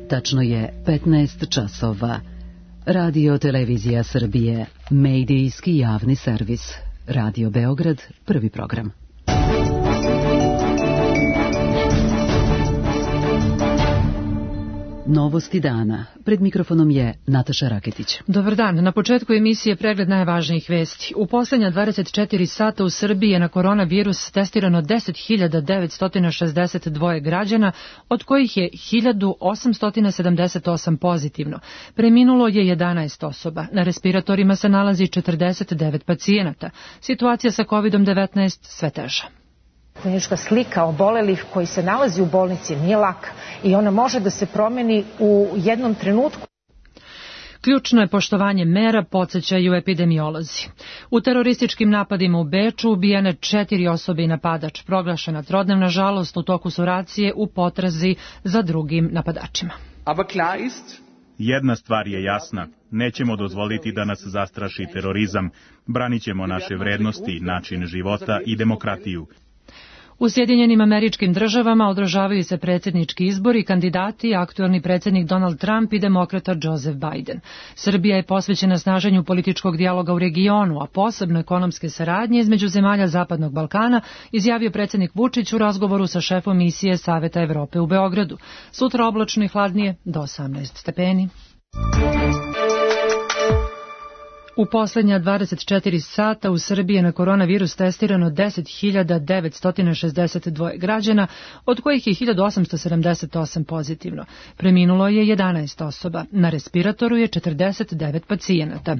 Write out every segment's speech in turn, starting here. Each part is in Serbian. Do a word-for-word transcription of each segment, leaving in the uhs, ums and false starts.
Tačno je petnaest časova. Radio Televizija Srbije, medijski javni servis. Radio Beograd, prvi program. Novosti dana. Pred mikrofonom je Nataša Raketić. Dobar dan. Na početku emisije pregled najvažnijih vesti. U posljednja dvadeset četiri sata u Srbiji je na koronavirus testirano deset hiljada devetsto šezdeset dva građana, od kojih je hiljadu osamsto sedamdeset osam pozitivno. Preminulo je jedanaest osoba. Na respiratorima se nalazi četrdeset devet pacijenata. Situacija sa kovid devetnaest sve teža. Klinička slika obolelih koji se nalazi u bolnici nije laka i ona može da se promeni u jednom trenutku. Ključno je poštovanje mera, podsjećaju epidemiolozi. U terorističkim napadima u Beču ubijene četiri osobe i napadač. Proglašena trodnevna žalost u toku su racije u potrazi za drugim napadačima. Jedna stvar je jasna. Nećemo dozvoliti da nas zastraši terorizam. Branit ćemo naše vrednosti, način života i demokratiju. U Sjedinjenim Američkim Državama održavaju se predsjednički izbori, kandidati, aktuelni predsjednik Donald Trump i demokrata Joseph Biden. Srbija je posvećena snaženju političkog dijaloga u regionu, a posebno ekonomske saradnje između zemalja Zapadnog Balkana, izjavio predsjednik Vučić u razgovoru sa šefom misije Saveta Evrope u Beogradu. Sutra oblačno i hladnije do osamnaest stepeni. U posljednja dvadeset četiri sata u Srbiji je na koronavirus testirano deset hiljada devetsto šezdeset dva građana, od kojih je hiljadu osamsto sedamdeset osam pozitivno. Preminulo je jedanaest osoba. Na respiratoru je četrdeset devet pacijenata.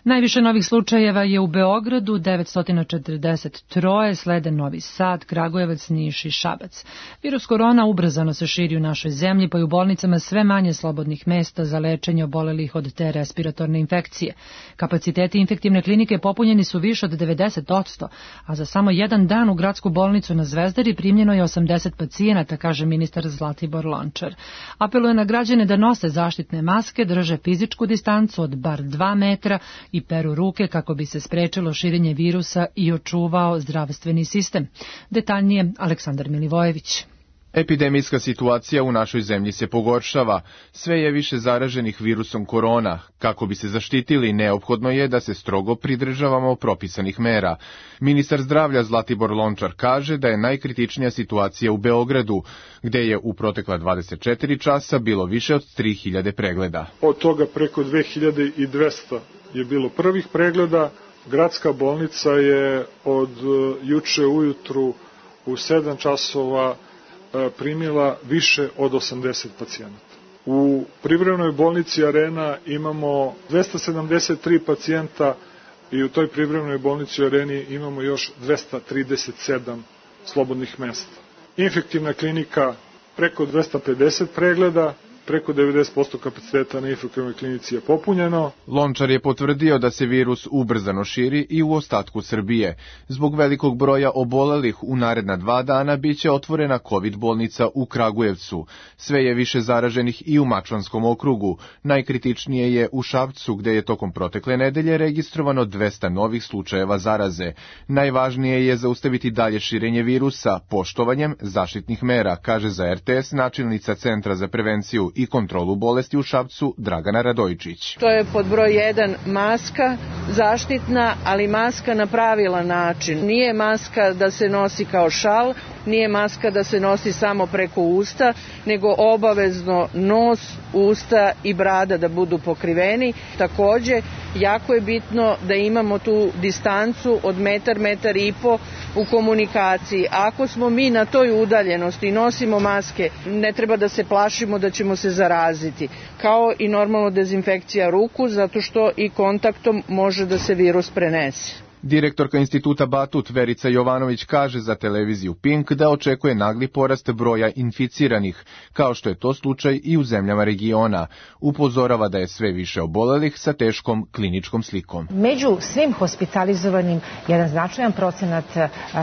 Najviše novih slučajeva je u Beogradu, devetsto četrdeset tri, slede Novi Sad, Kragujevac, Niš i Šabac. Virus korona ubrzano se širi u našoj zemlji, pa i u bolnicama sve manje slobodnih mesta za lečenje obolelih od te respiratorne infekcije. Kapaciteti infektivne klinike popunjeni su više od devedeset posto, a za samo jedan dan u gradsku bolnicu na Zvezdari primljeno je osamdeset pacijenata, kaže ministar Zlatibor Lončar. Apeluje na građane da nose zaštitne maske, drže fizičku distancu od bar dva metra i peru ruke kako bi se sprečilo širenje virusa i očuvao zdravstveni sistem. Detaljnije Aleksandar Milivojević. Epidemijska situacija u našoj zemlji se pogoršava. Sve je više zaraženih virusom korona. Kako bi se zaštitili, neophodno je da se strogo pridržavamo propisanih mera. Ministar zdravlja Zlatibor Lončar kaže da je najkritičnija situacija u Beogradu, gde je u protekla dvadeset četiri časa bilo više od tri hiljade pregleda. Od toga preko dve hiljade dvesta je bilo prvih pregleda. Gradska bolnica je od juče ujutru u sedam časova primila više od osamdeset pacijenata. U privremenoj bolnici Arena imamo dvesta sedamdeset tri pacijenta i u toj privremenoj bolnici Areni imamo još dvesta trideset sedam slobodnih mesta. Infektivna klinika preko dvesta pedeset pregleda, preko devedeset posto kapaciteta na infektivnoj klinici je popunjeno. Lončar je potvrdio da se virus ubrzano širi i u ostatku Srbije. Zbog velikog broja obolelih u naredna dva dana biće otvorena COVID bolnica u Kragujevcu. Sve je više zaraženih i u Mačvanskom okrugu. Najkritičnije je u Šapcu, gde je tokom protekle nedelje registrovano dvesta novih slučajeva zaraze. Najvažnije je zaustaviti dalje širenje virusa poštovanjem zaštitnih mera, kaže za R T S načelnica Centra za prevenciju i kontrolu bolesti u Šapcu Dragana Radojičić. To je pod broj jedan maska, zaštitna, ali maska na pravilan način. Nije maska da se nosi kao šal, nije maska da se nosi samo preko usta, nego obavezno nos, usta i brada da budu pokriveni. Takođe, jako je bitno da imamo tu distancu od metar, metar i po u komunikaciji. Ako smo mi na toj udaljenosti i nosimo maske, ne treba da se plašimo da ćemo se zaraziti. Kao i normalno dezinfekcija ruku, zato što i kontaktom može da se virus prenese. Direktorka instituta Batut Verica Jovanović kaže za televiziju Pink da očekuje nagli porast broja inficiranih, kao što je to slučaj i u zemljama regiona. Upozorava da je sve više obolelih sa teškom kliničkom slikom. Među svim hospitalizovanim jedan značajan procenat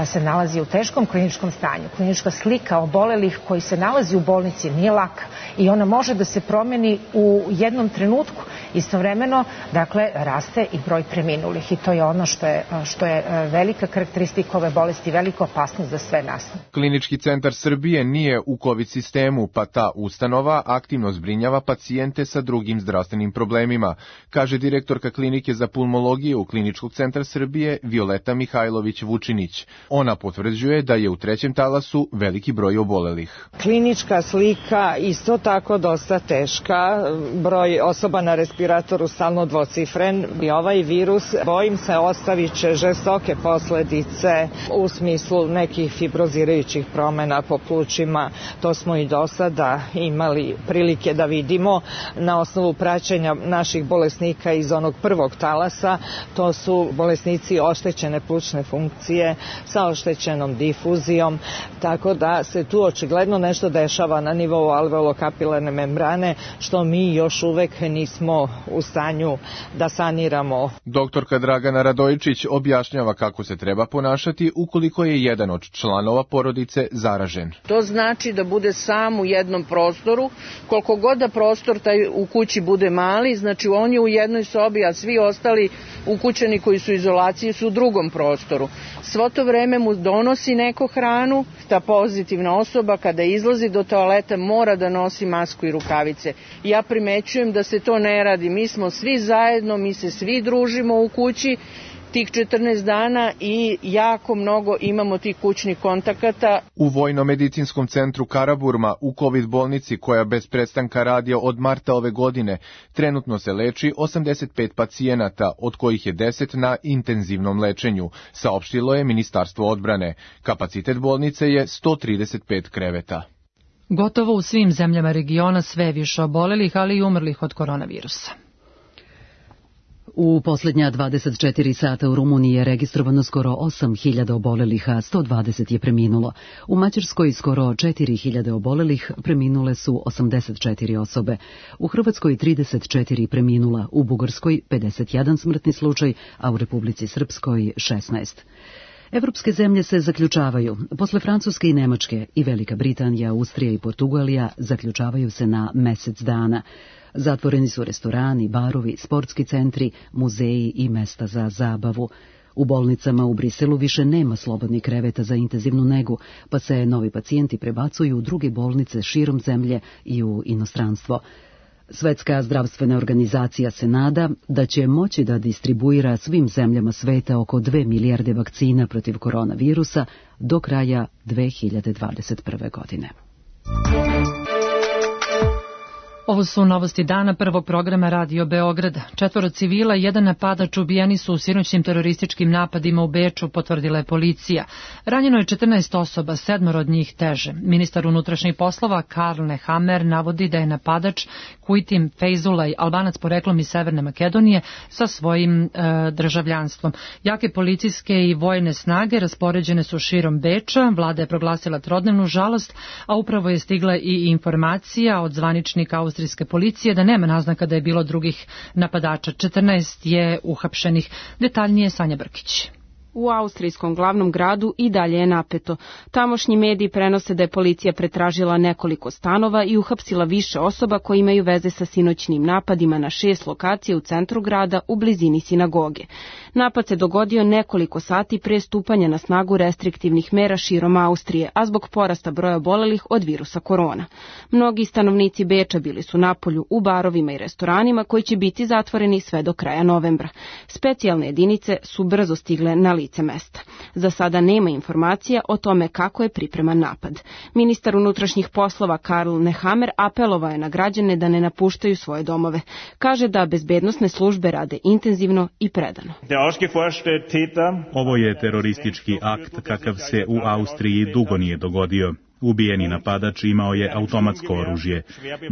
se nalazi u teškom kliničkom stanju. Klinička slika obolelih koji se nalazi u bolnici nije laka i ona može da se promeni u jednom trenutku. Istovremeno, dakle, raste i broj preminulih i to je ono što je je, što je velika karakteristika ove bolesti, velika opasnost za sve nas. Klinički centar Srbije nije u COVID sistemu, pa ta ustanova aktivno zbrinjava pacijente sa drugim zdravstvenim problemima, kaže direktorka klinike za pulmologiju u Kliničkog centra Srbije Violeta Mihajlović-Vučinić. Ona potvrđuje da je u trećem talasu veliki broj obolelih. Klinička slika isto tako dosta teška, broj osoba na respiratoru stalno dvocifren i ovaj virus, bojim se, ostavit će žestoke posledice u smislu nekih fibrozirajućih promjena po plućima. To smo i do sada imali prilike da vidimo na osnovu praćenja naših bolesnika iz onog prvog talasa. To su bolesnici oštećene plućne funkcije sa oštećenom difuzijom, tako da se tu očigledno nešto dešava na nivou alveolokapilarne membrane, što mi još uvek nismo u stanju da saniramo. Doktorka Dragana Radojičić objašnjava kako se treba ponašati ukoliko je jedan od članova porodice zaražen. To znači da bude sam u jednom prostoru, koliko god da prostor taj u kući bude mali, znači on je u jednoj sobi, a svi ostali ukućani koji su u izolaciji su u drugom prostoru. Svo to vreme mu donosi neko hranu, ta pozitivna osoba kada izlazi do toaleta mora da nosi masku i rukavice. Ja primećujem da se to ne radi, mi smo svi zajedno, mi se svi družimo u kući tih četrnaest dana i jako mnogo imamo tih kućnih kontakata. U Vojno-medicinskom centru Karaburma u COVID bolnici, koja bez prestanka radi od marta ove godine, trenutno se leči osamdeset pet pacijenata, od kojih je deset na intenzivnom lečenju, saopštilo je Ministarstvo odbrane. Kapacitet bolnice je sto trideset pet kreveta. Gotovo u svim zemljama regiona sve više obolelih, ali i umrlih od koronavirusa. U posljednja dvadeset četiri sata u Rumuniji je registrovano skoro osam hiljada obolelih, a sto dvadeset je preminulo. U Mađarskoj skoro četiri hiljade obolelih, preminule su osamdeset četiri osobe. U Hrvatskoj trideset četiri preminula, u Bugarskoj pedeset jedan smrtni slučaj, a u Republici Srpskoj šesnaest. Evropske zemlje se zaključavaju. Posle Francuske i Nemačke i Velika Britanija, Austrija i Portugalija zaključavaju se na mesec dana. Zatvoreni su restorani, barovi, sportski centri, muzeji i mesta za zabavu. U bolnicama u Briselu više nema slobodnih kreveta za intenzivnu negu, pa se novi pacijenti prebacuju u druge bolnice širom zemlje i u inostranstvo. Svetska zdravstvena organizacija se nada da će moći da distribuira svim zemljama sveta oko dve milijarde vakcina protiv koronavirusa do kraja dve hiljade dvadeset prve. godine. Ovo su novosti dana prvog programa Radio Beograd. Četvoro civila i jedan napadač ubijeni su u sinoćnim terorističkim napadima u Beču, potvrdila je policija. Ranjeno je četrnaest osoba, sedmoro od njih teže. Ministar unutrašnjih poslova Karl Nehammer navodi da je napadač Kuitim Fejzulaj, Albanac poreklom iz Severne Makedonije, sa svojim e, državljanstvom. Jake policijske i vojne snage raspoređene su širom Beča, vlada je proglasila trodnevnu žalost, a upravo je stigla i informacija od zvaničnika austrijske policije da nema naznaka da je bilo drugih napadača. četrnaest je uhapšenih. Detaljnije Sanja Brkić. U austrijskom glavnom gradu i dalje je napeto. Tamošnji mediji prenose da je policija pretražila nekoliko stanova i uhapsila više osoba koji imaju veze sa sinoćnim napadima na šest lokacija u centru grada u blizini sinagoge. Napad se dogodio nekoliko sati pre stupanja na snagu restriktivnih mera širom Austrije, a zbog porasta broja obolelih od virusa korona. Mnogi stanovnici Beča bili su napolju u barovima i restoranima koji će biti zatvoreni sve do kraja novembra. Specijalne jedinice su brzo stigle na lice mesta. Za sada nema informacija o tome kako je pripreman napad. Ministar unutrašnjih poslova Karl Nehammer apelovao je na građane da ne napuštaju svoje domove. Kaže da bezbednosne službe rade intenzivno i predano. Ovo je teroristički akt kakav se u Austriji dugo nije dogodio. Ubijeni napadač imao je automatsko oružje.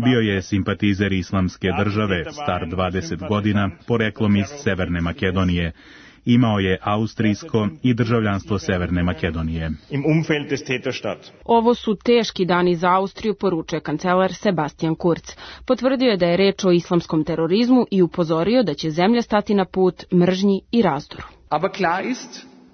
Bio je simpatizer Islamske države, star dvadeset godina, poreklom iz Severne Makedonije. Imao je austrijsko i državljanstvo Severne Makedonije. Ovo su teški dani za Austriju, poručuje kancelar Sebastian Kurz. Potvrdio je da je reč o islamskom terorizmu i upozorio da će zemlja stati na put mržnji i razdoru.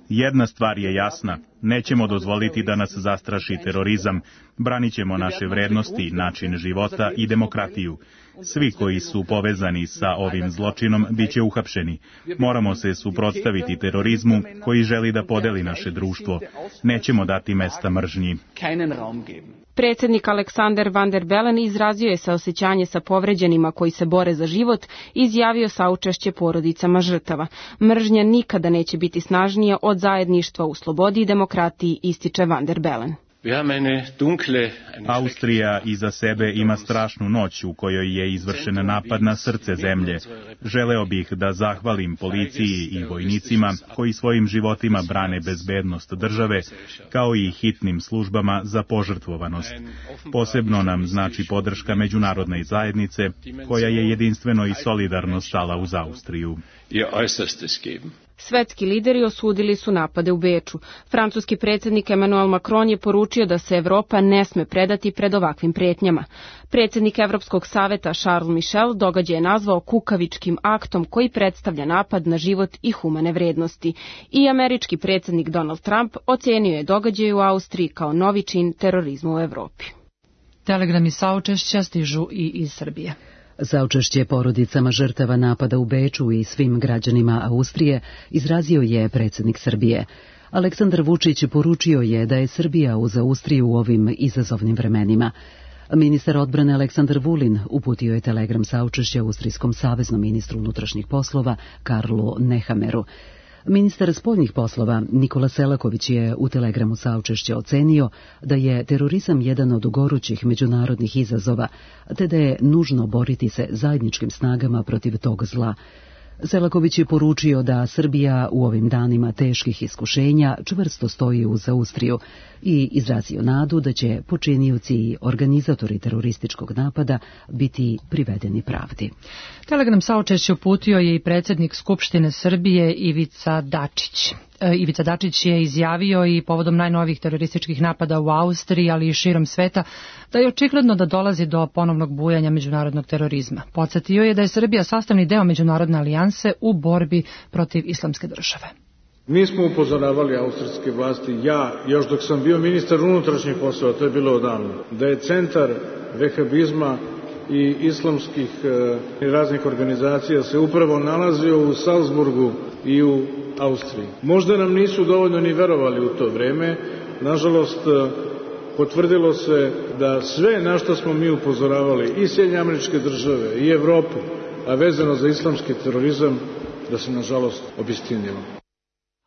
Jedna stvar je jasna. Nećemo dozvoliti da nas zastraši terorizam. Branit ćemo naše vrednosti, način života i demokratiju. Svi koji su povezani sa ovim zločinom bit će uhapšeni. Moramo se suprotstaviti terorizmu koji želi da podeli naše društvo. Nećemo dati mesta mržnji. Predsjednik Aleksander Van der Bellen izrazio je saosećanje sa povređenima koji se bore za život i izjavio saučešće porodicama žrtava. Mržnja nikada neće biti snažnija od zajedništva u slobodi i demokratiji, ističe Van der Bellen. Austrija iza sebe ima strašnu noć u kojoj je izvršen napad na srce zemlje. Želeo bih da zahvalim policiji i vojnicima koji svojim životima brane bezbednost države, kao i hitnim službama za požrtvovanost. Posebno nam znači podrška međunarodne zajednice, koja je jedinstveno i solidarno stala uz Austriju. Svetski lideri osudili su napade u Beču. Francuski predsjednik Emmanuel Macron je poručio da se Evropa ne sme predati pred ovakvim pretnjama. Predsjednik Evropskog saveta Charles Michel događaj je nazvao kukavičkim aktom koji predstavlja napad na život i humane vrednosti. I američki predsjednik Donald Trump ocenio je događaj u Austriji kao novi čin terorizma u Evropi. Telegrami saučešća stižu i iz Srbije. Saučešće porodicama žrtava napada u Beču i svim građanima Austrije izrazio je predsjednik Srbije. Aleksandar Vučić poručio je da je Srbija uz Austriju u ovim izazovnim vremenima. Ministar odbrane Aleksandar Vulin uputio je telegram saučešća austrijskom saveznom ministru unutrašnjih poslova Karlu Nehameru. Ministar spoljnih poslova Nikola Selaković je u telegramu saučešća ocenio da je terorizam jedan od gorućih međunarodnih izazova, te da je nužno boriti se zajedničkim snagama protiv tog zla. Selaković je poručio da Srbija u ovim danima teških iskušenja čvrsto stoji uz Austriju i izrazio nadu da će počinioci i organizatori terorističkog napada biti privedeni pravdi. Telegram saučešće uputio je i predsjednik Skupštine Srbije Ivica Dačić. Ivica Dačić je izjavio i povodom najnovijih terorističkih napada u Austriji, ali i širom sveta, da je očigledno da dolazi do ponovnog bujanja međunarodnog terorizma. Podsjetio je da je Srbija sastavni deo međunarodne alijanse u borbi protiv islamske države. Mi smo upozoravali austrijske vlasti, ja, još dok sam bio ministar unutrašnjih poslova, to je bilo odavno, da je centar vehabizma i islamskih i e, raznih organizacija se upravo nalazio u Salzburgu i u Austriji. Možda nam nisu dovoljno ni verovali u to vreme, nažalost potvrdilo se da sve na što smo mi upozoravali i Sjedinjene Američke Države i Evropu, a vezano za islamski terorizam, da se nažalost obistinilo.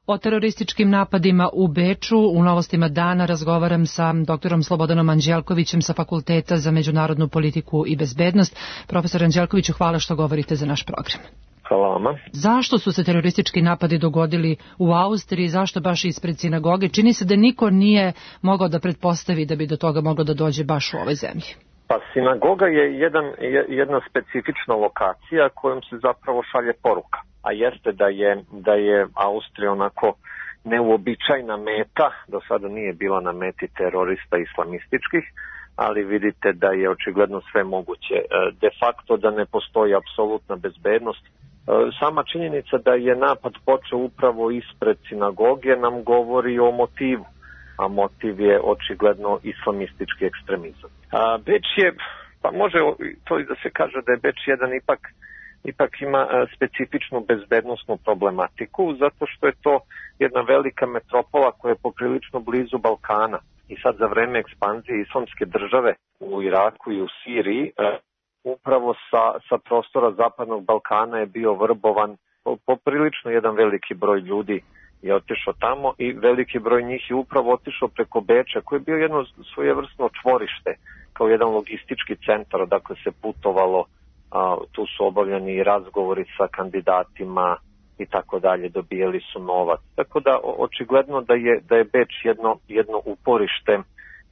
O terorističkim napadima u Beču u Novostima dana razgovaram sa doktorom Slobodanom Anđelkovićem sa Fakulteta za međunarodnu politiku i bezbednost. Profesor Anđelkoviću, hvala što govorite za naš program. Hvala vama. Zašto su se teroristički napadi dogodili u Austriji, zašto baš ispred sinagoge? Čini se da niko nije mogao da pretpostavi da bi do toga moglo da dođe baš u ovoj zemlji. Pa sinagoga je jedan, jedna specifična lokacija kojom se zapravo šalje poruka. A jeste da je, da je Austrija onako neuobičajna meta, do sada nije bila na meti terorista islamističkih, ali vidite da je očigledno sve moguće. De facto da ne postoji apsolutna bezbednost. Sama činjenica da je napad počeo upravo ispred sinagoge nam govori o motivu, a motiv je očigledno islamistički ekstremizam. A Beč je, pa može to i da se kaže da je Beč jedan ipak ipak ima specifičnu bezbednosnu problematiku, zato što je to jedna velika metropola koja je poprilično blizu Balkana. I sad za vreme ekspanzije islamske države u Iraku i u Siriji, upravo sa, sa prostora zapadnog Balkana je bio vrbovan poprilično jedan veliki broj ljudi je otišao tamo i veliki broj njih je upravo otišao preko Beča, koji je bio jedno svojevrsno čvorište, kao jedan logistički centar, odakle se putovalo. A, tu su obavljeni razgovori sa kandidatima i tako dalje, dobijali su novac. Tako da očigledno da je, da je Beč jedno, jedno uporište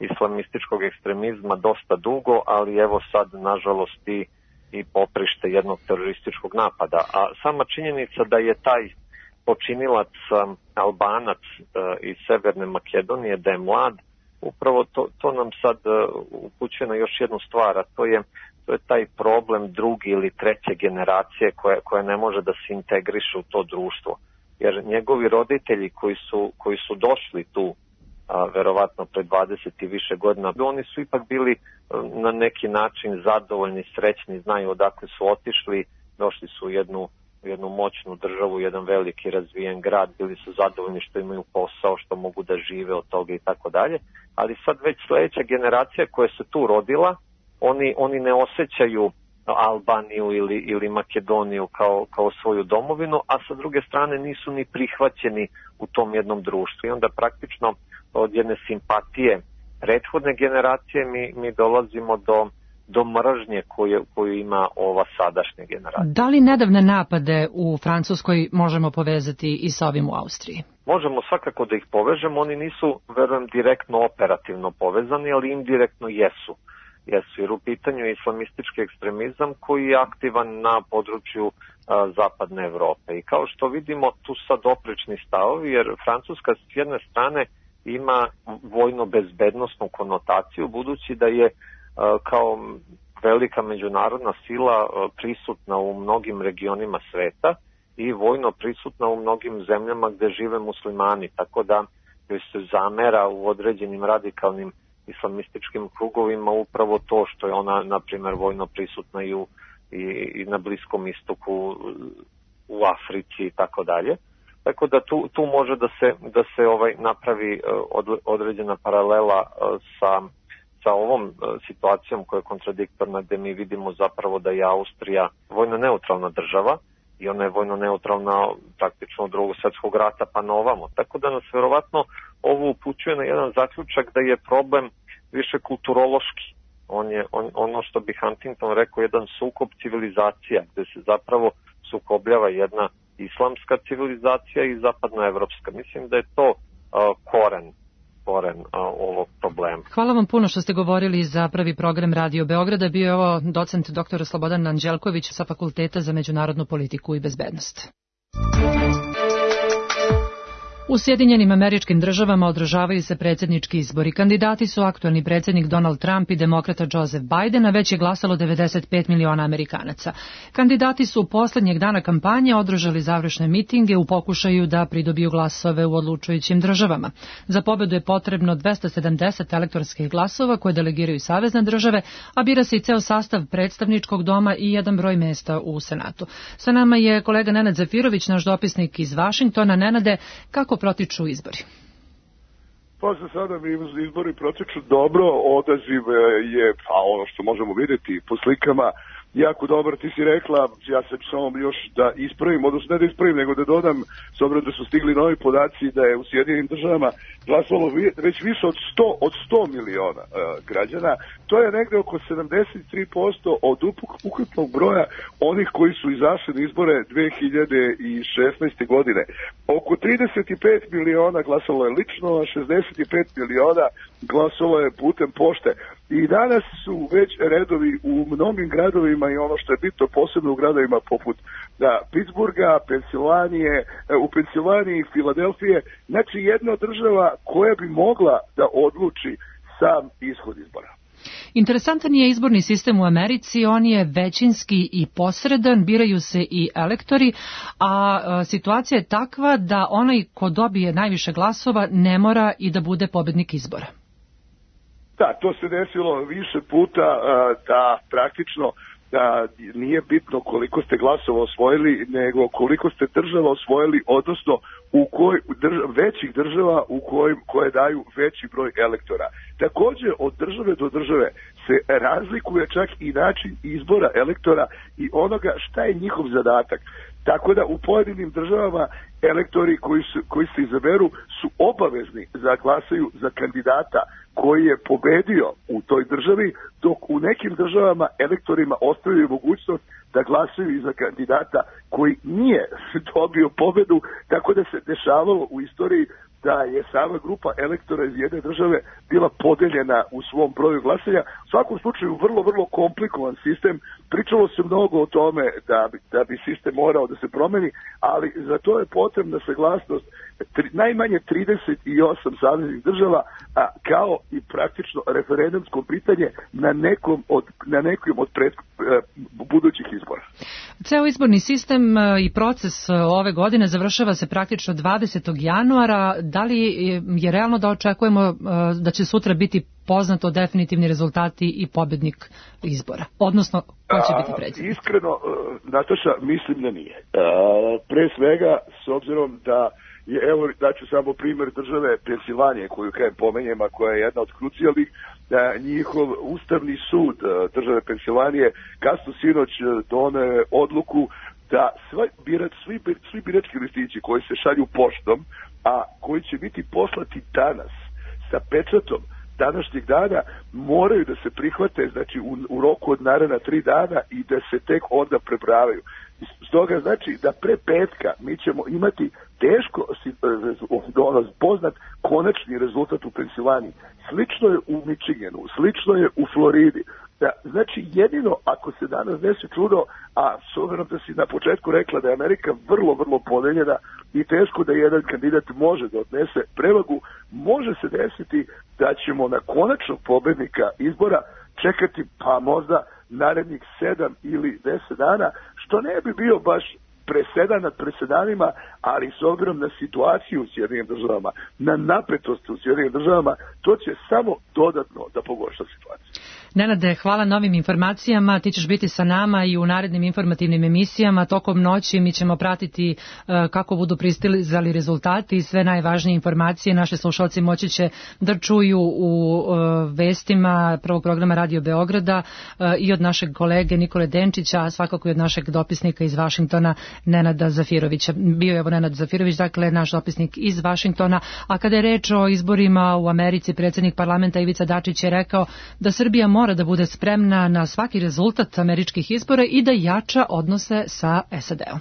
islamističkog ekstremizma dosta dugo, ali evo sad nažalost i, i poprište jednog terorističkog napada. A sama činjenica da je taj počinilac um, Albanac uh, iz Severne Makedonije, da je mlad, upravo to, to nam sad uh, upućuje na još jednu stvar, a to je To je taj problem druge ili treće generacije koja, koja ne može da se integriše u to društvo. Jer njegovi roditelji koji su, koji su došli tu a, verovatno pre dvadeset i više godina. Oni su ipak bili na neki način zadovoljni, srećni, znaju odakle su otišli, došli su u jednu, jednu moćnu državu, jedan veliki razvijen grad, bili su zadovoljni što imaju posao, što mogu da žive od toga i tako dalje. Ali sad već sledeća generacija koja se tu rodila, oni, oni ne osjećaju Albaniju ili, ili Makedoniju kao, kao svoju domovinu, a sa druge strane nisu ni prihvaćeni u tom jednom društvu. I onda praktično od jedne simpatije prethodne generacije mi, mi dolazimo do, do mržnje koju, koju ima ova sadašnja generacija. Da li nedavne napade u Francuskoj možemo povezati i sa ovim u Austriji? Možemo svakako da ih povežemo, oni nisu, verujem, direktno operativno povezani, ali indirektno jesu. Jesu, jer u pitanju je islamistički ekstremizam koji je aktivan na području a, zapadne Evrope. I kao što vidimo, tu sad oprečni stavovi, jer Francuska s jedne strane ima vojno-bezbednosnu konotaciju, budući da je a, kao velika međunarodna sila a, prisutna u mnogim regionima sveta i vojno prisutna u mnogim zemljama gde žive muslimani, tako da joj se zamera u određenim radikalnim islamističkim krugovima upravo to što je ona, na primjer, vojno prisutna i, u, i, i na Bliskom istoku, u Africi i tako dalje. Tako da tu, tu može da se, da se ovaj napravi od, određena paralela sa, sa ovom situacijom koja je kontradiktorna, gde mi vidimo zapravo da je Austrija vojno neutralna država i ona je vojno neutralna praktično od drugog svjetskog rata pa na ovamo. Tako da nas verovatno ovo upućuje na jedan zaključak da je problem više kulturološki. On je on, ono što bi Huntington rekao jedan sukob civilizacija, gde se zapravo sukobljava jedna islamska civilizacija i zapadna evropska. Mislim da je to uh, koren koren a, ovog problema. Hvala vam puno što ste govorili za prvi program Radio Beograda. Bio je ovo docent doktor Slobodan Anđelković sa Fakulteta za međunarodnu politiku i bezbednost. U Sjedinjenim Američkim Državama održavaju se predsjednički izbori. Kandidati su aktualni predsjednik Donald Trump i demokrata Joseph Biden, a već je glasalo devedeset pet miliona Amerikanaca. Kandidati su poslednjeg dana kampanje održali završne mitinge u pokušaju da pridobiju glasove u odlučujućim državama. Za pobedu je potrebno dvesta sedamdeset elektorskih glasova koje delegiraju savezne države, a bira se i ceo sastav predstavničkog doma i jedan broj mesta u Senatu. Sa nama je kolega Nenad Zafirović, naš dopisnik iz Vašingtona. Nenade, kako protiču izbori? Pa za sada mi izbori protiču dobro, odaziv je, pa ono što možemo vidjeti po slikama, jako dobar. Ti si rekla, ja se samo još da ispravim, odnosno ne da ispravim, nego da dodam, s obzirom da su stigli novi podaci da je u Sjedinjenim Državama glasalo već više od sto, od sto miliona uh, građana. To je negde oko sedamdeset tri posto od ukupnog broja onih koji su izašli na izbore dve hiljade šesnaeste. godine. Oko trideset pet miliona glasalo je lično, a šezdeset pet miliona glasalo je putem pošte. I danas su već redovi u mnogim gradovima i ono što je bitno posebno u gradovima poput da, Pittsburgha, Pensilvanije, u Pensilvaniji, Filadelfije, znači jedna država koja bi mogla da odluči sam ishod izbora. Interesantan je izborni sistem u Americi, on je većinski i posredan, biraju se i elektori, a, a situacija je takva da onaj ko dobije najviše glasova ne mora i da bude pobednik izbora. Da, to se desilo više puta da praktično da nije bitno koliko ste glasova osvojili, nego koliko ste država osvojili, odnosno u koj drža, većih država u kojim, koje daju veći broj elektora. Također od države do države se razlikuje čak i način izbora elektora i onoga šta je njihov zadatak. Tako da u pojedinim državama elektori koji, su, koji se izaberu su obavezni da glasaju za kandidata koji je pobedio u toj državi, dok u nekim državama elektorima ostavljaju mogućnost da glasaju i za kandidata koji nije dobio pobedu, tako da se dešavalo u istoriji da je sama grupa elektora iz jedne države bila podeljena u svom broju glasanja, U svakom slučaju vrlo, vrlo komplikovan sistem. Pričalo se mnogo o tome da bi, da bi sistem morao da se promeni, ali za to je potrebna saglasnost tri, najmanje trideset osam saveznih država, a kao i praktično referendumsko pitanje na nekom od, na nekom od pred, budućih izbora. Ceo izborni sistem i proces ove godine završava se praktično dvadesetog januara. Da li je realno da očekujemo da će sutra biti poznato definitivni rezultati i pobednik izbora? Odnosno, ko će biti predsjednik? Iskreno, Nataša, mislim da nije. A, pre svega, s obzirom da je, evo, daću samo primjer države Pensilvanije, koju kajem pomenjem, a koja je jedna od krucijalnih, da njihov ustavni sud države Pensilvanije kasno sinoć doneo odluku da svi, birač, svi, svi birački listići koji se šalju poštom, a koji će biti poslati danas sa pečatom današnjeg dana, moraju da se prihvate, znači u, u roku od naredna tri dana i da se tek onda prebrajaju. Stoga znači da pre petka mi ćemo imati teško ono, poznat konačni rezultat u Pensilvaniji. Slično je u Michiganu, slično je u Floridi. Da, znači jedino ako se danas desi čudo, a s obzirom da si na početku rekla da je Amerika vrlo, vrlo podeljena i teško da jedan kandidat može da odnese prevagu, može se desiti da ćemo na konačnog pobednika izbora čekati pa možda narednih sedam ili deset dana, što ne bi bio baš presedan nad presedanima, ali s obzirom na situaciju u Sjedinim državama, na napetost u Sjedinim državama, to će samo dodatno da pogorša situaciju. Nenade, hvala na ovim informacijama. Ti ćeš biti sa nama i u narednim informativnim emisijama. Tokom noći mi ćemo pratiti uh, kako budu pristizali rezultati i sve najvažnije informacije. Naši slušalci moći će da čuju u uh, vestima prvog programa Radio Beograda uh, i od našeg kolege Nikole Denčića, a svakako i od našeg dopisnika iz Vašingtona, Nenada Zafirovića. Bio je evo Nenad Zafirović, dakle naš dopisnik iz Vašingtona. A kada je reč o izborima u Americi, predsjednik parlamenta Ivica Dačić je rekao da Srbija mora da bude spremna na svaki rezultat američkih izbora i da jača odnose sa S A D-om.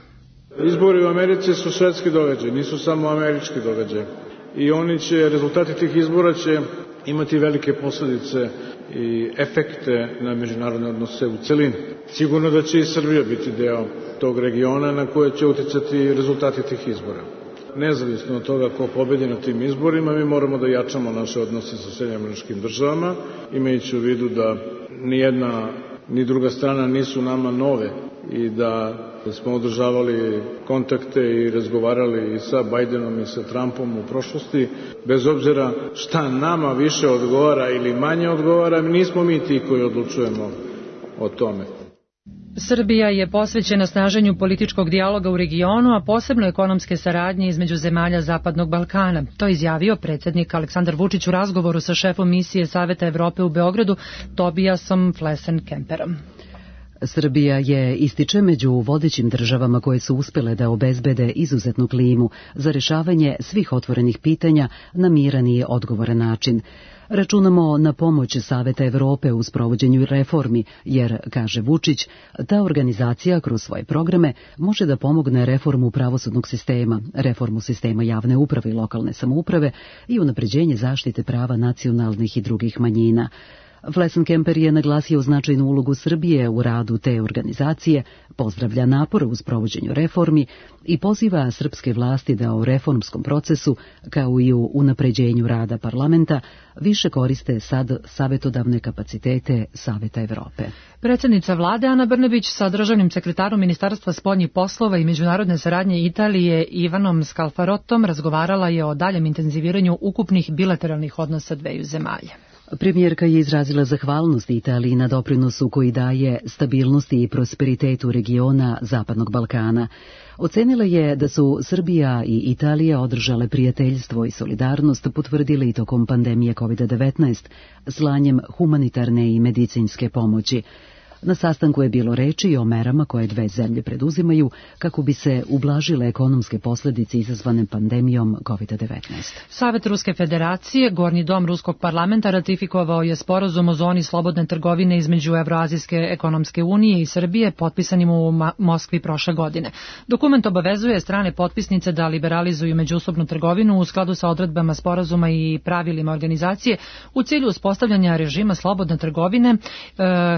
Izbori u Americi su svetski događaj, nisu samo američki događaj. I oni će, rezultati tih izbora će imati velike posljedice i efekte na međunarodne odnose u celini. Sigurno da će i Srbija biti deo tog regiona na koje će uticati rezultati tih izbora. Nezavisno od toga ko pobedi na tim izborima, mi moramo da jačamo naše odnose sa Sjedinjenim Američkim Državama, imajući u vidu da ni jedna ni druga strana nisu nama nove i da smo održavali kontakte i razgovarali i sa Bajdenom i sa Trumpom u prošlosti. Bez obzira šta nama više odgovara ili manje odgovara, nismo mi ti koji odlučujemo o tome. Srbija je posvećena snaženju političkog dijaloga u regionu, a posebno ekonomske saradnje između zemalja Zapadnog Balkana. To je izjavio predsjednik Aleksandar Vučić u razgovoru sa šefom misije Saveta Evrope u Beogradu, Tobiasom Flesen-Kemperom. Srbija je, ističe, među vodećim državama koje su uspjele da obezbede izuzetnu klimu za rješavanje svih otvorenih pitanja na miran i odgovoran način. Računamo na pomoć Saveta Evrope u sprovođenju reformi, jer, kaže Vučić, ta organizacija kroz svoje programe može da pomogne reformu pravosudnog sistema, reformu sistema javne uprave i lokalne samouprave i unapređenje zaštite prava nacionalnih i drugih manjina. Flesen-Kemper je naglasio značajnu ulogu Srbije u radu te organizacije, pozdravlja napore u sprovođenju reformi i poziva srpske vlasti da u reformskom procesu, kao i u unapređenju rada parlamenta, više koriste sad savjetodavne kapacitete Saveta Evrope. Predsjednica vlade Ana Brnabić sa državnim sekretarom Ministarstva spoljnih poslova i međunarodne saradnje Italije Ivanom Scalfarotom razgovarala je o daljem intenziviranju ukupnih bilateralnih odnosa dveju zemalja. Premijerka je izrazila zahvalnost Italiji na doprinosu koji daje stabilnosti i prosperitetu regiona Zapadnog Balkana. Ocenila je da su Srbija i Italija održale prijateljstvo i solidarnost, potvrdili i tokom pandemije kovid devetnaest, slanjem humanitarne i medicinske pomoći. Na sastanku je bilo reči i o merama koje dve zemlje preduzimaju kako bi se ublažile ekonomske posljedice izazvane pandemijom kovid devetnaest. Savet Ruske federacije, Gornji dom Ruskog parlamenta, ratifikovao je sporazum o zoni slobodne trgovine između Evroazijske ekonomske unije i Srbije, potpisanim u Moskvi prošle godine. Dokument obavezuje strane potpisnice da liberalizuju međusobnu trgovinu u skladu sa odredbama sporazuma i pravilima organizacije u cilju uspostavljanja režima slobodne trgovine e,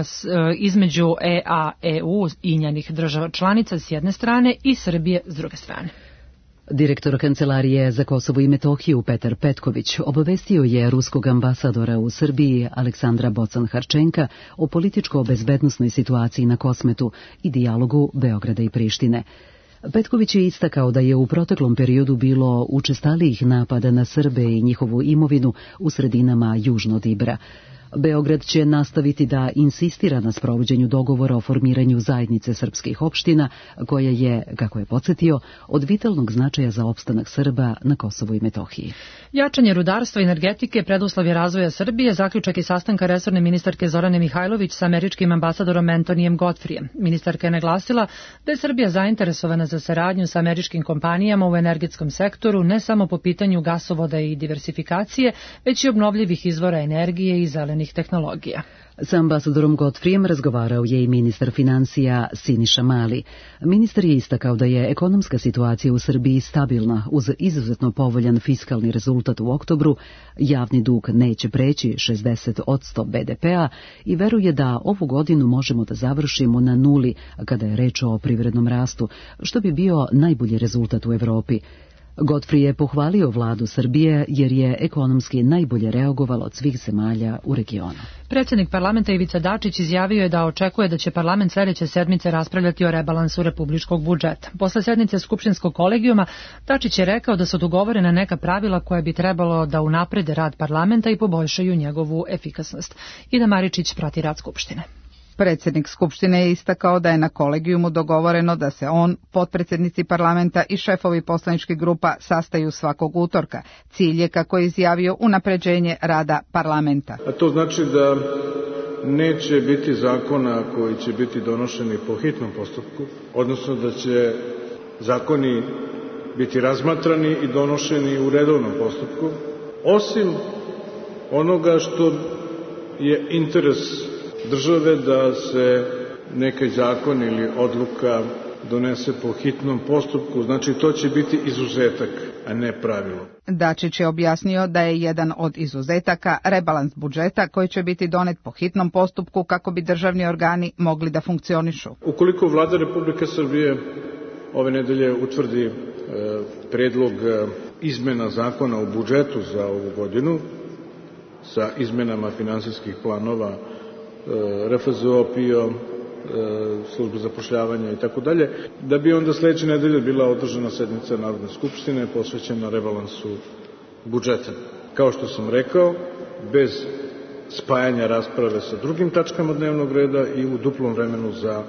s, e, između E A E U i njenih država članica s jedne strane i Srbije s druge strane. Direktor Kancelarije za Kosovo i Metohiju Petar Petković obavestio je ruskog ambasadora u Srbiji Aleksandra Bocan-Harčenka o političko-bezbednosnoj situaciji na Kosmetu i dijalogu Beograda i Prištine. Petković je istakao da je u proteklom periodu bilo učestalijih napada na Srbe i njihovu imovinu u sredinama južno od Ibra. Beograd će nastaviti da insistira na sprovođenju dogovora o formiranju zajednice srpskih opština, koja je, kako je podsjetio, od vitalnog značaja za opstanak Srba na Kosovu i Metohiji. Jačanje rudarstva i energetike preduslov je razvoja Srbije, zaključak i sastanka resorne ministarke Zorane Mihajlović sa američkim ambasadorom Antonijem Godfrijem. Ministarka je naglasila da je Srbija zainteresovana za saradnju sa američkim kompanijama u energetskom sektoru, ne samo po pitanju gasovoda i diversifikacije, već i obnovljivih izvora energije i zelenih tehnologija. Sa ambasadorom Godfrijem razgovarao je i ministar financija Siniša Mali. Ministar je istakao da je ekonomska situacija u Srbiji stabilna uz izuzetno povoljan fiskalni rezultat u oktobru, javni dug neće preći šezdeset posto be de pea i veruje da ovu godinu možemo da završimo na nuli kada je reč o privrednom rastu, što bi bio najbolji rezultat u Evropi. Godfrey je pohvalio vladu Srbije jer je ekonomski najbolje reagovala od svih zemalja u regionu. Predsjednik parlamenta Ivica Dačić izjavio je da očekuje da će parlament sljedeće sedmice raspravljati o rebalansu republičkog budžeta. Posle sednice skupštinskog kolegijuma, Dačić je rekao da su dogovorena neka pravila koje bi trebalo da unaprede rad parlamenta i poboljšaju njegovu efikasnost. Ida Maričić prati rad skupštine. Predsjednik Skupštine je istakao da je na kolegijumu dogovoreno da se on, potpredsjednici parlamenta i šefovi poslaničkih grupa sastaju svakog utorka. Cilj je, kako je izjavio, unapređenje rada parlamenta. A to znači da neće biti zakona koji će biti donošeni po hitnom postupku, odnosno da će zakoni biti razmatrani i donošeni u redovnom postupku, osim onoga što je interes države da se neki zakon ili odluka donese po hitnom postupku, znači to će biti izuzetak, a ne pravilo. Dačić je objasnio da je jedan od izuzetaka rebalans budžeta koji će biti donet po hitnom postupku kako bi državni organi mogli da funkcionišu. Ukoliko Vlada Republike Srbije ove nedelje utvrdi e, predlog e, izmena zakona o budžetu za ovu godinu sa izmenama finansijskih planova R F Z O, P I O, službe zapošljavanja i tako dalje, da bi onda sledeće nedelje bila održana sednica Narodne skupštine posvećena rebalansu budžeta. Kao što sam rekao, bez spajanja rasprave sa drugim tačkama dnevnog reda i u duplom vremenu za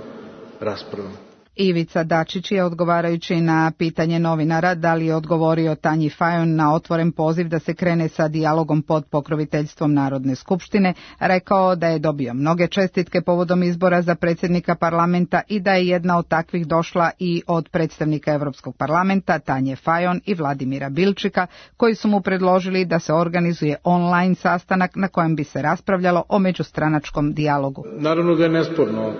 raspravu. Ivica Dačić je, odgovarajući na pitanje novinara da li je odgovorio Tanji Fajon na otvoren poziv da se krene sa dijalogom pod pokroviteljstvom Narodne skupštine, rekao da je dobio mnoge čestitke povodom izbora za predsjednika parlamenta i da je jedna od takvih došla i od predstavnika Evropskog parlamenta Tanje Fajon i Vladimira Bilčika, koji su mu predložili da se organizuje online sastanak na kojem bi se raspravljalo o međustranačkom dijalogu. Naravno da je nesporno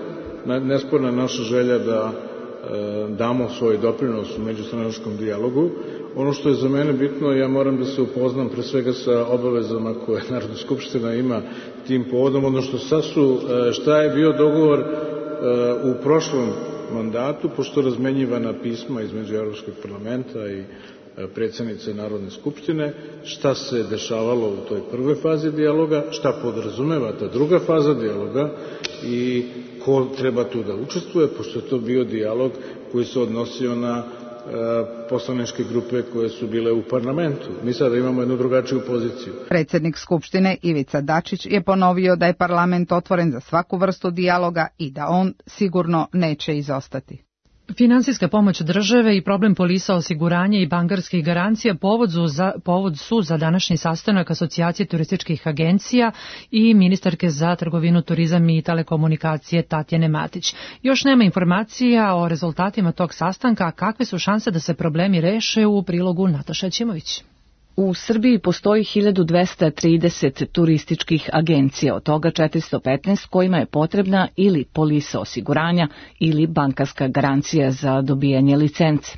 nesporna naša želja da e, damo svoj doprinos u međustranačkom dijalogu. Ono što je za mene bitno, ja moram da se upoznam pre svega sa obavezama koje Narodna skupština ima tim povodom, odnosno šta, su, šta je bio dogovor e, u prošlom mandatu, pošto razmenjivana pisma između Evropskog parlamenta i predsjednice Narodne skupštine, šta se dešavalo u toj prvoj fazi dijaloga, šta podrazumeva ta druga faza dijaloga i ko treba tu da učestvuje, pošto je to bio dijalog koji se odnosio na e, poslaničke grupe koje su bile u parlamentu. Mi sada imamo jednu drugačiju poziciju. Predsjednik Skupštine Ivica Dačić je ponovio da je parlament otvoren za svaku vrstu dijaloga i da on sigurno neće izostati. Finansijska pomoć države i problem polisa osiguranja i bankarskih garancija povod su, za, povod su za današnji sastanak Asocijacije turističkih agencija i ministarke za trgovinu, turizam i telekomunikacije Tatjane Matić. Još nema informacija o rezultatima tog sastanka, a kakve su šanse da se problemi reše u prilogu Nataša Ćimović. U Srbiji postoji hiljadu dvesta trideset turističkih agencija, od toga četiristo petnaest kojima je potrebna ili polisa osiguranja ili bankarska garancija za dobijanje licence.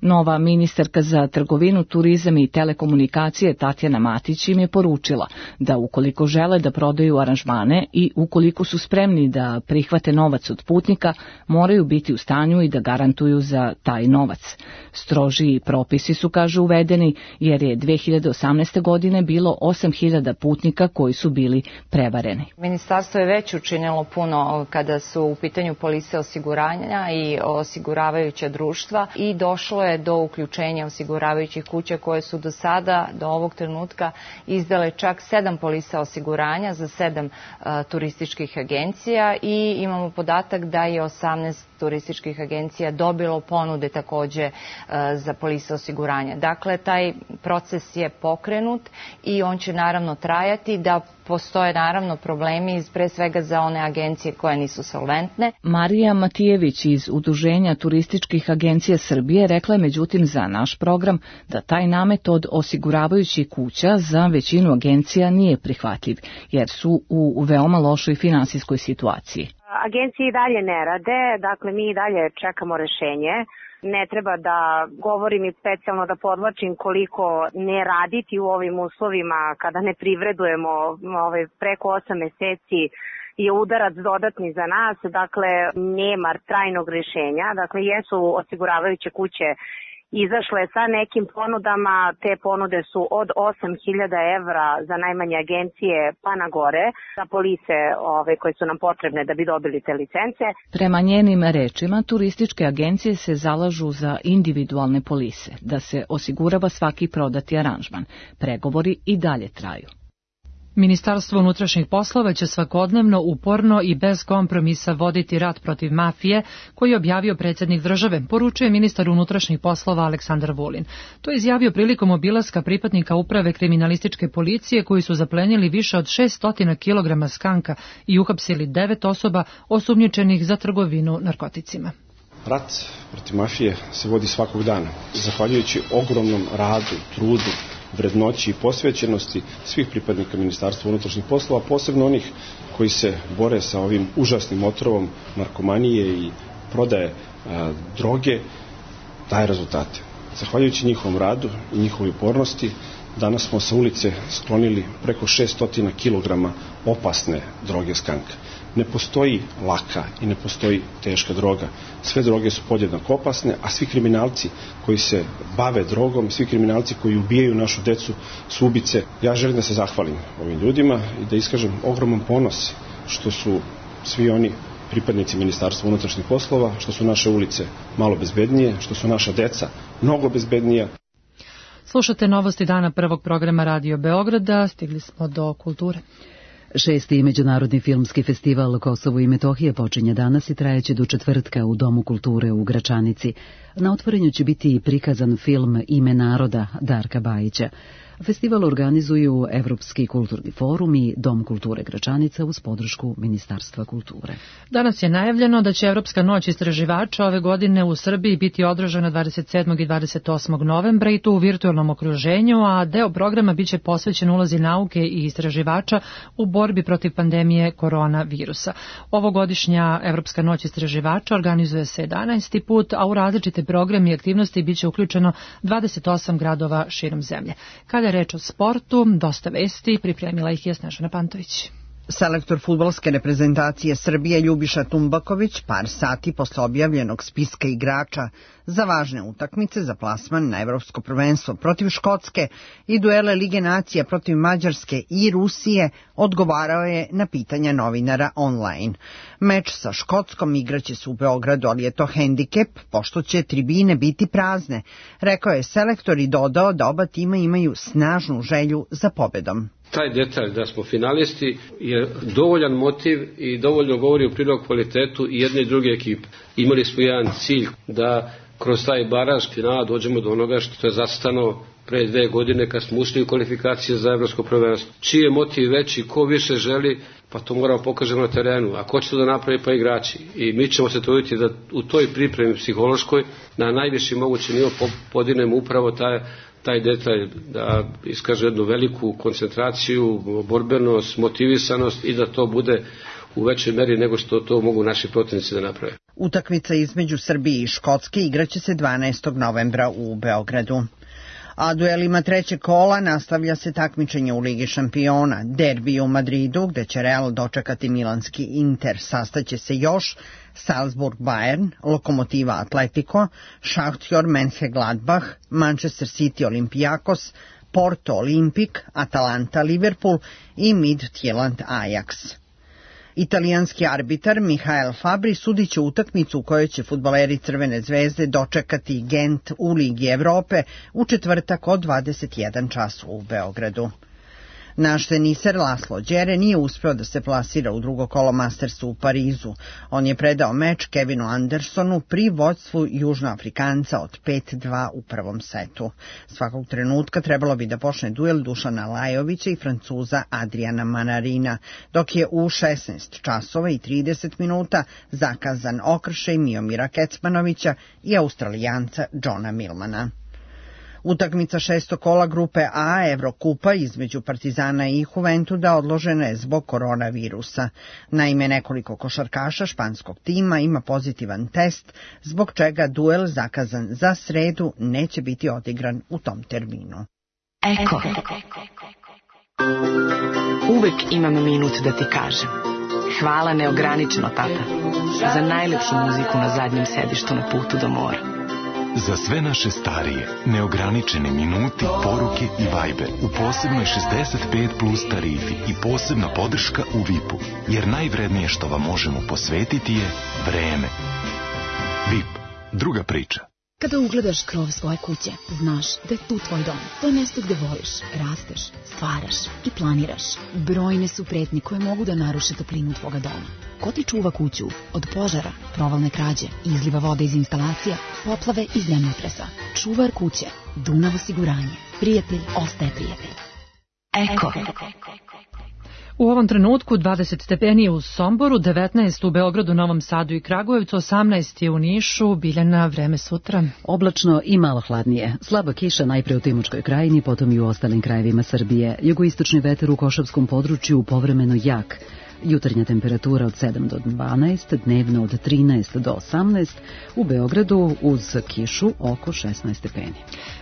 Nova ministarka za trgovinu, turizam i telekomunikacije Tatjana Matić im je poručila da ukoliko žele da prodaju aranžmane i ukoliko su spremni da prihvate novac od putnika, moraju biti u stanju i da garantuju za taj novac. Strožiji propisi su, kaže, uvedeni jer je dve hiljade osamnaeste. godine bilo osam hiljada putnika koji su bili prevareni. Ministarstvo je već učinilo puno kada su u pitanju polise osiguranja i osiguravajuća društva i došlo je do uključenja osiguravajućih kuća koje su do sada, do ovog trenutka, izdale čak sedam polisa osiguranja za sedam uh, turističkih agencija i imamo podatak da je osamnaest turističkih agencija dobilo ponude takođe uh, za polise osiguranja. Dakle, taj proces je pokrenut i on će naravno trajati, da postoje naravno problemi pre svega za one agencije koje nisu solventne. Marija Matijević iz Udruženja turističkih agencija Srbije rekla je međutim za naš program da taj namet od osiguravajućih kuća za većinu agencija nije prihvatljiv, jer su u veoma lošoj finansijskoj situaciji. Agencije i dalje ne rade, dakle mi i dalje čekamo rešenje. Ne treba da govorim i specijalno da podvlačim koliko ne raditi u ovim uslovima kada ne privredujemo ovaj, preko osam meseci je udarac dodatni za nas, dakle nema trajnog rešenja, dakle jesu osiguravajuće kuće izašle sa nekim ponudama, te ponude su od osam hiljada evra za najmanje agencije pa na gore, za polise ove, koje su nam potrebne da bi dobili te licence. Prema njenim rečima, turističke agencije se zalažu za individualne polise, da se osigurava svaki prodati aranžman. Pregovori i dalje traju. Ministarstvo unutrašnjih poslova će svakodnevno, uporno i bez kompromisa voditi rat protiv mafije, koji je objavio predsjednik države, poručuje ministar unutrašnjih poslova Aleksandar Vulin. To je izjavio prilikom obilaska pripadnika uprave kriminalističke policije koji su zaplenili više od šesto kilograma skanka i uhapsili devet osoba osumnjičenih za trgovinu narkoticima. Rat protiv mafije se vodi svakog dana, zahvaljujući ogromnom radu, trudu, vrednoći i posvećenosti svih pripadnika Ministarstva unutrašnjih poslova, posebno onih koji se bore sa ovim užasnim otrovom narkomanije i prodaje a, droge, daje rezultate. Zahvaljujući njihovom radu i njihovoj upornosti, danas smo sa ulice sklonili preko šesto kilograma opasne droge skanka. Ne postoji laka i ne postoji teška droga. Sve droge su podjednako opasne, a svi kriminalci koji se bave drogom, svi kriminalci koji ubijaju našu decu su ubice. Ja želim da se zahvalim ovim ljudima i da iskažem ogroman ponos što su svi oni pripadnici Ministarstva unutrašnjih poslova, što su naše ulice malo bezbednije, što su naša deca mnogo bezbednija. Slušate novosti dana prvog programa Radio Beograda, stigli smo do kulture. Šesti međunarodni filmski festival Kosovo i Metohija počinje danas i trajeće do četvrtka u Domu kulture u Gračanici. Na otvorenju će biti prikazan film Ime naroda Darka Bajića. Festival organizuju Evropski kulturni forum i Dom kulture Gračanica uz podršku Ministarstva kulture. Danas je najavljeno da će Evropska noć istraživača ove godine u Srbiji biti održana dvadeset sedmog i dvadeset osmog novembra i to u virtualnom okruženju, a deo programa biće posvećen ulozi nauke i istraživača u borbi protiv pandemije koronavirusa. Ovogodišnja Evropska noć istraživača organizuje se jedanaesti put, a u različite programe i aktivnosti biće uključeno dvadeset osam gradova širom zemlje. Kada je reč o sportu, dosta vesti, pripremila ih je Snežana Pantović. Selektor fudbalske reprezentacije Srbije Ljubiša Tumbaković par sati posle objavljenog spiska igrača za važne utakmice za plasman na Evropsko prvenstvo protiv Škotske i duele Lige nacija protiv Mađarske i Rusije odgovarao je na pitanja novinara online. Meč sa Škotskom igraće se u Beogradu, ali je to hendikep pošto će tribine biti prazne, rekao je selektor i dodao da oba tima imaju snažnu želju za pobedom. Taj detalj da smo finalisti je dovoljan motiv i dovoljno govori u prilog kvalitetu i jedne i druge ekipe. Imali smo jedan cilj da kroz taj baraž finala dođemo do onoga što je zacrtano pre dve godine kad smo ušli u kvalifikacije za evropsko prvenstvo. Čiji je motiv veći, ko više želi, pa to moramo pokažemo na terenu. A ko će to da napravi, pa igrači. I mi ćemo se truditi da u toj pripremi psihološkoj na najviši mogući nivo podinemo upravo taj, taj detalj, da iskaže jednu veliku koncentraciju, borbenost, motivisanost i da to bude u većoj meri nego što to mogu naši protivnici da naprave. Utakmica između Srbije i Škotske igraće se dvanaestog novembra u Beogradu. A duelima trećeg kola nastavlja se takmičenje u Ligi šampiona. Derbi u Madridu, gde će Real dočekati milanski Inter, sastaće se još Salzburg Bayern, Lokomotiva Atletico, Šahtjor Mönchengladbach, Manchester City Olympiakos, Porto Olimpik, Atalanta Liverpool i Midtjylland Ajax. Italijanski arbitar Mihael Fabri sudit će utakmicu u kojoj će fudbaleri Crvene zvezde dočekati Gent u Ligi Evrope u četvrtak od dvadeset jedan čas u Beogradu. Naš teniser Laslo Đere nije uspeo da se plasira u drugo kolo Mastersa u Parizu. On je predao meč Kevinu Andersonu pri vođstvu Južnoafrikanca od pet dva u prvom setu. Svakog trenutka trebalo bi da počne duel Dušana Lajovića i Francuza Adriana Manarina, dok je u šesnaest časova i trideset minuta zakazan okršaj Miomira Kecmanovića i Australijanca Johna Millmana. Utakmica šestog kola grupe A Evrokupa između Partizana i Juventuda odložena je zbog koronavirusa. Naime, nekoliko košarkaša španskog tima ima pozitivan test, zbog čega duel zakazan za sredu neće biti odigran u tom terminu. Eko. Uvek imam minut da ti kažem. Hvala neograničeno, tata, za najlepšu muziku na zadnjem sedištu na putu do mora. Za sve naše starije, neograničeni minuti, poruke i Viber u posebnoj šezdeset pet plus tarifi i posebna podrška u V I P-u, jer najvrednije što vam možemo posvetiti je vreme. V I P. Druga priča. Kada ugledaš krov svoje kuće, znaš da je tu tvoj dom. To je mjesto gde voliš, rasteš, stvaraš i planiraš. Brojne su pretnje koje mogu da naruše toplinu tvoga doma. Ko ti čuva kuću od požara, provalne krađe, izliva vode iz instalacija, poplave i zemljotresa? Čuvar kuće, Dunav osiguranje. Prijatelj ostaje prijatelj. Eko. U ovom trenutku dvadeset stepeni u Somboru, devetnaest u Beogradu, Novom Sadu i Kragujevcu, osamnaest je u Nišu. Biljana, vreme sutra. Oblačno i malo hladnije. Slaba kiša najpre u Timočkoj krajini, potom i u ostalim krajevima Srbije. Jugoistočni vetar u Košavskom području povremeno jak. Jutarnja temperatura od sedam do dvanaest, dnevno od trinaest do osamnaest, u Beogradu uz kišu oko šesnaest stepeni.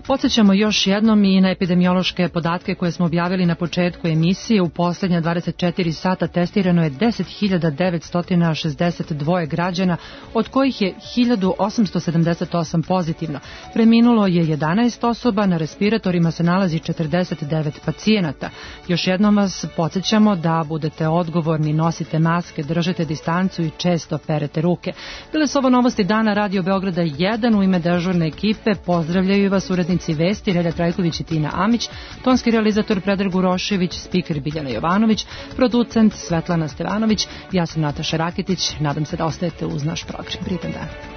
Podsjećamo još jednom i na epidemiološke podatke koje smo objavili na početku emisije. U poslednja dvadeset četiri sata testirano je deset hiljada devetsto šezdeset dva građana, od kojih je hiljadu osamsto sedamdeset osam pozitivno. Preminulo je jedanaest osoba, na respiratorima se nalazi četrdeset devet pacijenata. Još jednom vas podsjećamo da budete odgovorni, nosite maske, držite distancu i često perete ruke. Bile su ovo novosti dana Radio Beograda jedan. U ime dežurne ekipe pozdravljaju vas urednici vesti Relja Trajković i Tina Amić, tonski realizator Predrag Urošević, spiker Biljana Jovanović, producent Svetlana Stevanović. Ja sam Nataša Rakitić. Nadam se da ostajete uz naš program. Prijetan dan.